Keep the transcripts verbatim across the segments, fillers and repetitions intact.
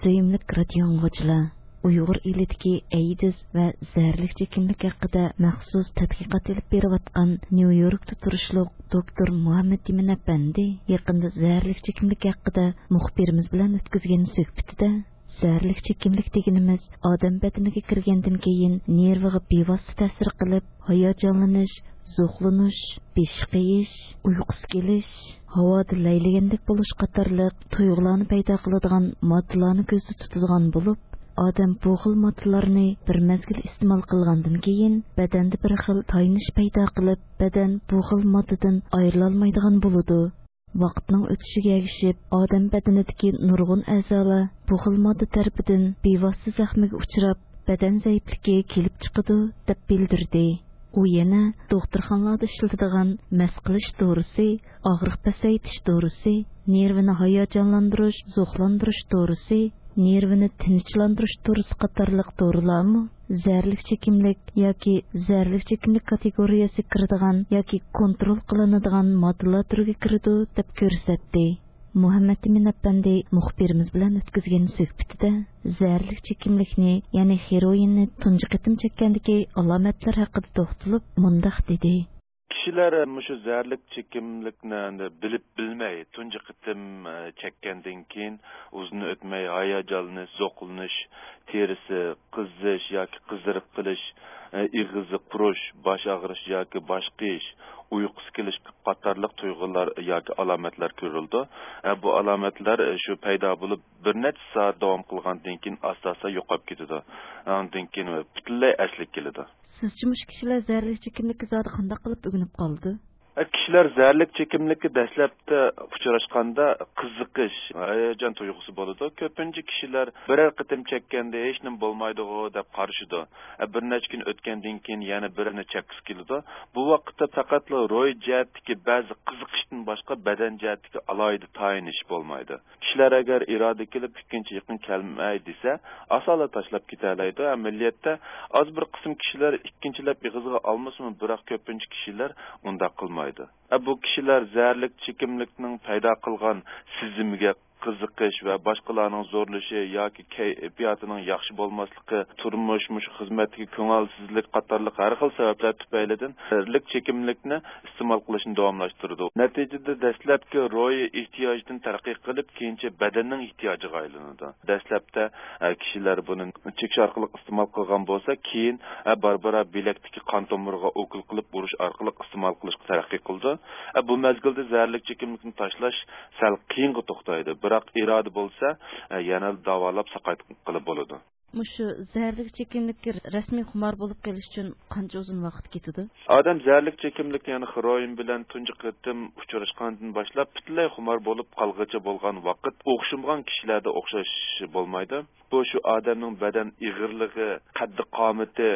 سۆيۈملۈك رادىيو ئاڭلىغۇچىلار، ئۇيغۇر ئېلىدىكى ئەيدىز ۋە زەھەرلىك چېكىملىك ھەققىدە مەخسۇس تەتقىقات ئېلىپ بېرىۋاتقان نيۇ يوركتا تۇرۇشلۇق دوكتور مۇھەممەت ئىمىن ئەپەندى يېقىندا زەھەرلىك چېكىملىك ھەققىدە مۇخبىرىمىز بىلەن ئۆتكۈزگەن سۆھبىتىدە، زەھەرلىك چېكىملىك دېگىنىمىز ئادەم بەدىنىگە كىرگەندىن كېيىن نېرۋىغا بىۋاسىتە تەسىر قىلىپ، ھاياجانلىنىش، زوقلىنىش، بېشى قېيىش، ئۇيقۇسى كېلىش، ھاۋادا لەيلىگەندەك بولۇش قاتارلىق تۇيغۇلارنى پەيدا قىلىدىغان ماددىلارنى كۆزدە تۇتىدىغان بولۇپ، ئادەم بۇ خىل ماددىلارنى بىر مەزگىل ئىستېمال قىلغاندىن كېيىن، بەدەندە بىر خىل تايىنىش پەيدا قىلىپ، بەدەن بۇ خىل ماددىدىن ئايرىلالمايدىغان بولىدۇ. ۋاقىتنىڭ ئۆتۈشىگە ئەگىشىپ، ئادەم بەدىنىدىكى نۇرغۇن ئەزالار بۇ خىل ماددا تەرىپىدىن بىۋاسىتە زەخمىگە ئۇچراپ، بەدەن زەئىپلىكى كېلىپ چىقىدۇ، دەپ بىلدۈردى. ئۇ يەنە دوختۇرخانىلاردا ئىشلىتىدىغان مەس قىلىش دورىسى، ئاغرىق پەسەيتىش دورىسى، نېرۋىنى ھاياجانلاندۇرۇش، زوقلاندۇرۇش دورىسى، نېرۋىنى تىنچلاندۇرۇش دورىسى قاتارلىق دورىلارمۇ زەھەرلىك چېكىملىك ياكى زەھەرلىك چېكىملىك كاتېگورىيەسىگە كىرىدىغان ياكى كونترول قىلىنىدىغان ماددىلار تۈرىگە كىرىدۇ، دەپ كۆرسەتتى. مۇھەممەت ئىمىن ئەپەندى مۇخبىرىمىز بىلەن ئۆتكۈزگەن سۆھبىتىدە زەھەرلىك چېكىملىكنى، يەنى خېروئىننى تۇنجى قېتىم چەككەندىكى ئالامەتلەر ھەققىدە توختىلىپ، مۇنداق دېدى. كىشىلەر مۇشۇ زەھەرلىك چېكىملىكنى ئەندى بىلىپ بىلمەي تۇنجى قېتىم، ئە، چەككەندىن كېيىن ئۇزۇن ئۆتمەي ھاياجانلىنىش، زوقلىنىش، تېرىسى قىزىش ياكى قىزىرىپ قېلىش، ئە، ئېغىزى قۇرۇش، باش ئاغرىش ياكى باش قېيىش، ئۇيقۇسى كېلىش قاتارلىق تۇيغۇلار ياكى ئالامەتلەر كۆرۈلىدۇ. ئە، بۇ ئالامەتلەر، ئە، شۇ پەيدا بولۇپ بىر نەچچە سائەت داۋام قىلغاندىن كېيىن ئاستا-ئاستا يوقاپ كېتىدۇ. ئاندىن كېيىن پۈتۈنلەي ئەسلىگە كېلىدۇ. سىزچە مۇشۇ كىشىلەر زەھەرلىك چېكىملىككە زادى قانداق قىلىپ ئۆگىنىپ قالىدۇ؟ ئە، كىشىلەر زەھەرلىك چېكىملىككە دەسلەپتە ئۇچراشقاندا قىزىقىش، ھاياجان تۇيغۇسى بولىدۇ. كۆپىنچە كىشىلەر بىرەر قېتىم چەككەندە ھېچنېمە بولمايدىغۇ دەپ قارىشىدۇ. ئە، بىر نەچچە كۈن ئۆتكەندىن كېيىن يەنە بىرىنى چەككۈسى كېلىدۇ. بۇ ۋاقىتتا پەقەتلا روھىي جەھەتتىكى بەزى قىزىقىشتىن باشقا بەدەن جەھەتتىكى ئالاھىدە تايىنىش بولمايدۇ. كىشىلەر ئەگەر ئىرادە كېلىپ ئىككىنچى يېقىن كەلمەي دېسە، ئاسانلا تاشلاپ كېتەلەيدۇ. ئەمەلىيەتتە ئاز بىر قىسىم كىشىلەر ئىككىنچىلەپ ئېغىزغا ئالمىسىمۇ، بىراق كۆپىنچە كىشىلەر ئۇنداق قىلمايدۇ. ئە، بۇ كىشىلەر زەھەرلىك چېكىملىكنىڭ پەيدا قىلغان سېزىمىگە قىزىقىش ۋە باشقىلارنىڭ زورلىشى ياكى كەيپىياتىنىڭ ياخشى بولماسلىقى، تۇرمۇش، مۇشۇ خىزمەتتىكى كۆڭۈلسىزلىك قاتارلىق ھەر خىل سەۋەبلەر تۈپەيلىدىن زەھەرلىك چېكىملىكنى ئىستېمال قىلىشنى داۋاملاشتۇرىدۇ. نەتىجىدە دەسلەپكى روھىي ئېھتىياجدىن تەرەققىي قىلىپ، كېيىنچە بەدەننىڭ ئېھتىياجىغا ئايلىنىدۇ. دەسلەپتە، ئە، كىشىلەر بۇنى چېكىش ئارقىلىق ئىستېمال قىلغان بولسا، كېيىن، ئە، بارا-بارا بىلەكتىكى قان تومۇرىغا ئوكۇل قىلىپ ئۇرۇش ئارقىلىق ئىستېمال قىلىشقا تەرەققىي قىلىدۇ. ئە، بۇ مەزگىلدە زەھەرلىك چېكىملىكنى تاشلاش سەل قىيىنغا توختايدۇ. بىراق ئىرادە بولسا، ئە، يەنە داۋالاپ ساقايتقىلى بولىدۇ. مۇشۇ زەھەرلىك چېكىملىككە رەسمىي خۇمار بولۇپ قېلىش ئۈچۈن قانچە ئۇزۇن ۋاقىت كېتىدۇ؟ ئادەم زەھەرلىك چېكىملىك، يەنى خېروئىن بىلەن تۇنجى قېتىم ئۇچراشقاندىن باشلاپ پۈتۈنلەي خۇمار بولۇپ قالغىچە بولغان ۋاقىت ئوخشىمىغان كىشىلەردە ئوخشاش بولمايدۇ. بۇ شۇ ئادەمنىڭ بەدەن ئېغىرلىقى، قەددى-قامىتى،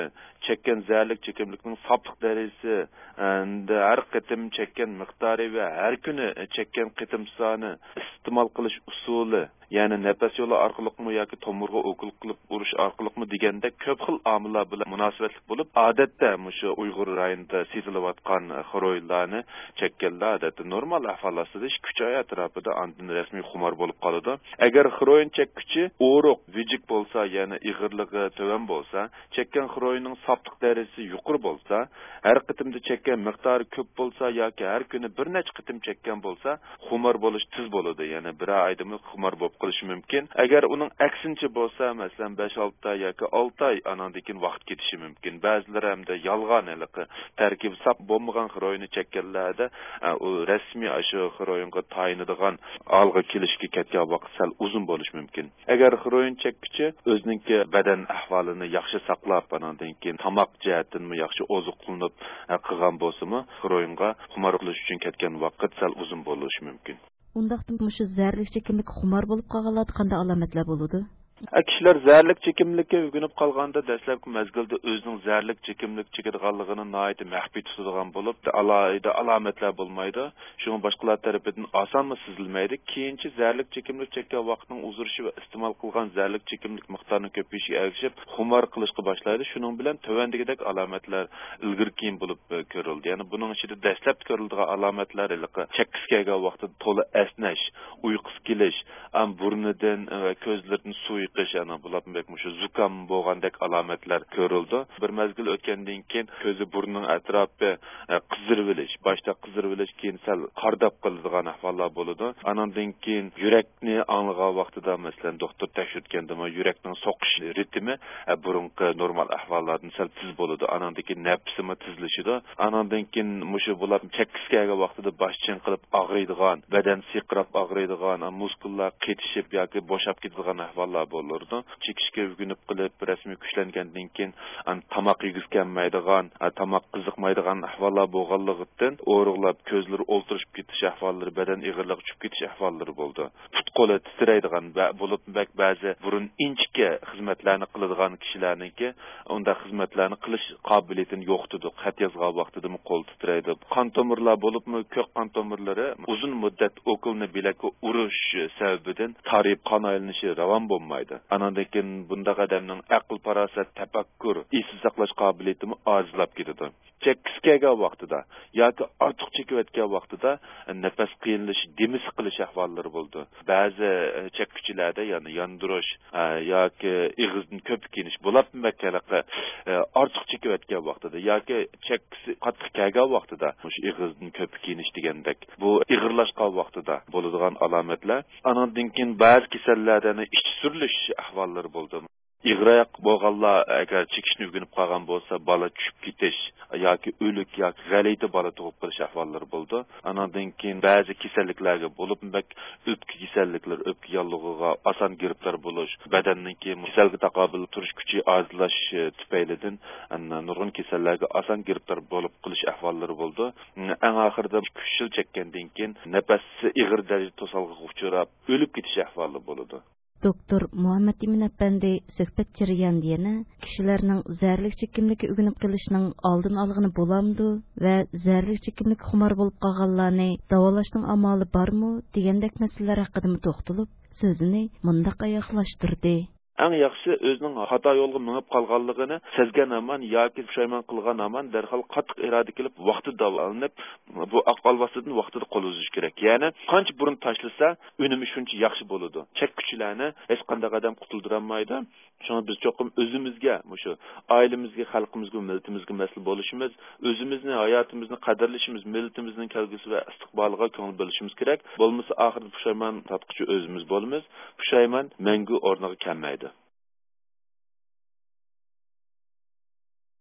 چەككەن زەھەرلىك چېكىملىكنىڭ ساپلىق دەرىجىسى، ئەندى ھەر قېتىم چەككەن مىقدارى ۋە ھەر كۈنى چەككەن قېتىم سانى، ئىستېمال قىلىش ئۇسۇلى، يەنى نەپەس يولى ئارقىلىقمۇ ياكى تومۇرغا ئوكۇل قىلىپ ئۇرۇش ئارقىلىقمۇ دېگەندەك كۆپ خىل ئامىللار بىلەن مۇناسىۋەتلىك بولۇپ، ئادەتتە مۇشۇ ئۇيغۇر رايونىدا سېتىلىۋاتقان خېروئىنلارنى چەككەنلەر ئادەتتە نورمال ئەھۋال ئاستىدا ئىككى-ئۈچ ئاي ئەتراپىدا ئاندىن رەسمىي خۇمار بولۇپ قالىدۇ. ئەگەر خېروئىن چەككۈچى ئورۇق، ۋىجىك بولسا، يەنى ئېغىرلىقى تۆۋەن بولسا، چەككەن خېروئىننىڭ ساپلىق دەرىجىسى يۇقىرى بولسا، ھەر قېتىمدا چەككەن مىقدارى كۆپ بولسا ياكى ھەر كۈنى بىر نەچچە قېتىم چەككەن بولسا، خۇمار بولۇش تېز بولىدۇ، يەنى بىرەر ئايدىمۇ خۇمار بولۇپ قېلىشى مۇمكىن. ئەگەر ئۇنىڭ ئەكسىنچە بولسا، مەسىلەن، بەش-ئالتە ئاي ياكى ئالتە ئاي، ئاناندىن كېيىن ۋاقىت كېتىشى مۇمكىن. بەزىلىرى ھەمدە يالغان ھېلىقى تەركىبى ساپ بولمىغان خېروئىننى چەككەنلەردە، ئە، ئۇ رەسمىي ئاشۇ خېروئىنغا تايىنىدىغان ھالغا كېلىشكە كەتكەن ۋاقىت سەل ئۇزۇن بولۇشى مۇمكىن. ئەگەر خېروئىن چەككۈچى ئۆزىنىڭكى بەدەن ئەھۋالىنى ياخشى ساقلاپ، ئاناندىن كېيىن تاماق جەھەتتىنمۇ ياخشى ئوزۇقلىنىپ، ئە، قىلغان بولسىمۇ، خېروئىنغا خۇمار قىلىش ئۈچۈن كەتكەن ۋاقىت سەل ئۇزۇن بولۇشى مۇمكىن. ئۇنداقتا مۇشۇ زەھەرلىك چېكىملىككە خۇمار بولۇپ قالغانلاردا قانداق ئالامەتلەر بولىدۇ؟ ئە، كىشىلەر زەھەرلىك چېكىملىككە ئۆگىنىپ قالغاندا، دەسلەپكى مەزگىلدە ئۆزىنىڭ زەھەرلىك چېكىملىك چېكىدىغانلىقىنى ناھايىتى مەخپىي تۇتىدىغان بولۇپ، ئالاھىدە ئالامەتلەر بولمايدۇ. شۇڭا باشقىلار تەرىپىدىن ئاسانمۇ سېزىلمەيدۇ. كېيىنچە زەھەرلىك چېكىملىك چەككەن ۋاقىتنىڭ ئۇزىرىشى ۋە ئىستېمال قىلغان زەھەرلىك چېكىملىك مىقدارىنىڭ كۆپىيىشىگە ئەگىشىپ، خۇمار قىلىشقا باشلايدۇ. شۇنىڭ بىلەن تۆۋەندىكىدەك ئالامەتلەر ئىلگىرى كېيىن بولۇپ، ئە، كۆرۈلدى. يەنى بۇنىڭ ئىچىدە دەسلەپتە كۆرۈلىدىغان ئالامەتلەر ھېلىقى چەككىسى كەلگەن ۋاقتىدا تولا ئەسنەش، ئۇيقۇسى كېلىش، ئەم، بۇرنىدىن ۋە كۆزلىرىدىن سۇ ئېقىش، ئەنە بۇلارمۇ بەك مۇشۇ زۇكام بولغاندەك ئالامەتلەر كۆرۈلىدۇ. بىر مەزگىل ئۆتكەندىن كېيىن كۆزى، بۇرنىنىڭ ئەتراپى، ئە، قىزىرىۋېلىش، باشتا قىزىرىۋېلىش، كېيىن سەل قارداپ قېلىدىغان ئەھۋاللار بولىدۇ. ئانىڭدىن كېيىن يۈرەكنى ئاڭلىغان ۋاقتىدا، مەسىلەن، دوختۇر تەكشۈرتكەندىمۇ يۈرەكنىڭ سوقۇش رىتىمى، ئە، بۇرۇنقى نورمال ئەھۋاللاردىن سەل تېز بولىدۇ. ئانىڭدىن كېيىن نەپىسىمۇ تېزلىشىدۇ. ئانىڭدىن كېيىن مۇشۇ بۇلار چەككىسى كەلگەن ۋاقتىدا باش چېڭقىلىپ ئاغرىيدىغان، بەدەن سىرقىراپ ئاغرىيدىغان، مۇسكۇللار قېتىشىپ ياكى بوشاپ كېتىدىغان ئەھۋاللار بولىدۇ. چېكىشكە ئۆگىنىپ قېلىپ، رەسمىي كۈچلەنگەندىن كېيىن، ئان-، تاماق يېگۈسى كەلمەيدىغان، ئا، تاماق قىزىقمايدىغان ئەھۋاللار بولغانلىقتىن، ئورۇقلاپ كۆزلىرى ئولتۇرۇشۇپ كېتىش ئەھۋاللىرى، بەدەن ئېغىرلىقى چۈشۈپ كېتىش ئەھۋاللىرى بولىدۇ. پۇت-قولى تىترەيدىغان ۋە بولۇپمۇ بەك بەزى بۇرۇن ئىنچىكە خىزمەتلەرنى قىلىدىغان كىشىلەرنىڭكى ئۇنداق خىزمەتلەرنى قىلىش قابىلىيىتىنى يوقىتىدۇ. خەت يازغان ۋاقتىدىمۇ قول تىترەيدۇ. قان تومۇرلار، بولۇپمۇ كۆك قان تومۇرلىرى ئۇزۇن مۇددەت ئوكۇلنى بىلەككە ئۇرۇش سەۋەبىدىن تارىيىپ قان ئايلىنىشى راۋان بولمايدۇ. ئانىڭدىن كېيىن بۇنداق ئادەمنىڭ ئەقىل-پاراسەت، تەپەككۇر، ئېسىل ساقلاش قابىلىيىتىمۇ ئاجىزلاپ كېتىدۇ. چەككىسى كەلگەن ۋاقتىدا ياكى ئارتۇق چېكىۋەتكەن ۋاقتىدا نەپەس قىيىنلىشىش، دېمى سىقىلىش ئەھۋاللىرى بولىدۇ. بەزى، ئە، چەككۈچىلەردە، يەنى ياندۇرۇش، ئە، ياكى ئېغىزدىن كۆپۈك يېنىش، بۇلاپمۇ بەك ھېلىقى، ئە، ئارتۇق چېكىۋەتكەن ۋاقتىدا ياكى چەككىسى قاتتىق كەلگەن ۋاقتىدا مۇشۇ ئېغىزدىن كۆپۈك يېنىش دېگەندەك، بۇ ئېغىرلاشقان ۋاقتىدا بولىدىغان ئالامەتلەر. ئانىڭدىن كېيىن بەزى كېسەللەردە ئىچ سۈرۈلۈش ئەھۋاللىرى بولىدۇ. ئېغىر ئاياق بولغانلار ئەگەر چېكىشنى ئۆگىنىپ قالغان بولسا، بالا چۈشۈپ كېتىش ياكى ئۆلۈك ياكى غەلىتە بالا تۇغۇپ قېلىش ئەھۋاللىرى بولىدۇ. ئانىڭدىن كېيىن بەزى كېسەللىكلەرگە، بولۇپمۇ بەك ئۆپكە كېسەللىكلىرى، ئۆپكە ياللۇغىغا ئاسان گىرىپتار بولۇش، بەدەننىڭكى كېسەلگە تاقابىل تۇرۇش كۈچى ئازلاش، ئە، تۈپەيلىدىن، ئە، نۇرغۇن كېسەللەرگە ئاسان گىرىپتار بولۇپ قېلىش ئەھۋاللىرى بولىدۇ. ئەڭ ئاخىرىدا ئىككى ئۈچ يىل چەككەندىن كېيىن نەپەسى ئېغىر دەرىجىدە توسالغۇغا ئۇچراپ، ئۆلۈپ كېتىش ئەھۋالى بولىدۇ. دوكتور مۇھەممەتئىمىن ئەپەندى سۆھبەت جەريانىدا يەنە كىشىلەرنىڭ زەھەرلىك چېكىملىككە ئۆگىنىپ قېلىشنىڭ ئالدىنى ئالغىلى بولامدۇ ۋە زەھەرلىك چېكىملىككە خۇمار بولۇپ قالغانلارنى داۋالاشنىڭ ئامالى بارمۇ دېگەندەك مەسىلىلەر ھەققىدىمۇ توختىلىپ، سۆزىنى مۇنداق ئاياغلاشتۇردى. ئەڭ ياخشىسى ئۆزىنىڭ خاتا يولغا مېڭىپ قالغانلىقىنى سەزگەن ھامان ياكى پۇشايمان قىلغان ھامان دەرھال قاتتىق ئىرادە كېلىپ، ۋاقتىدا داۋالىنىپ، بۇ ئاق ئالۋاستىدىن ۋاقتىدا قول ئۈزۈش كېرەك. يەنى قانچە بۇرۇن تاشلىسا، ئۈنۈمى شۇنچە ياخشى بولىدۇ. چەككۈچىلەرنى ھېچقانداق ئادەم قۇتۇلدۇرالمايدۇ. شۇڭا بىز چوقۇم ئۆزىمىزگە، مۇشۇ ئائىلىمىزگە، خەلقىمىزگە، مىللىتىمىزگە مەسئۇل بولۇشىمىز، ئۆزىمىزنى، ھاياتىمىزنى قەدىرلىشىمىز، مىللىتىمىزنىڭ كەلگۈسى ۋە ئىستىقبالىغا كۆڭۈل بۆلۈشىمىز كېرەك. بولمىسا ئاخىرىدا پۇشايمان تارتقۇچى ئۆزىمىز بولىمىز. پۇشايمان مەڭگۈ ئورنىغا كەلمەيدۇ.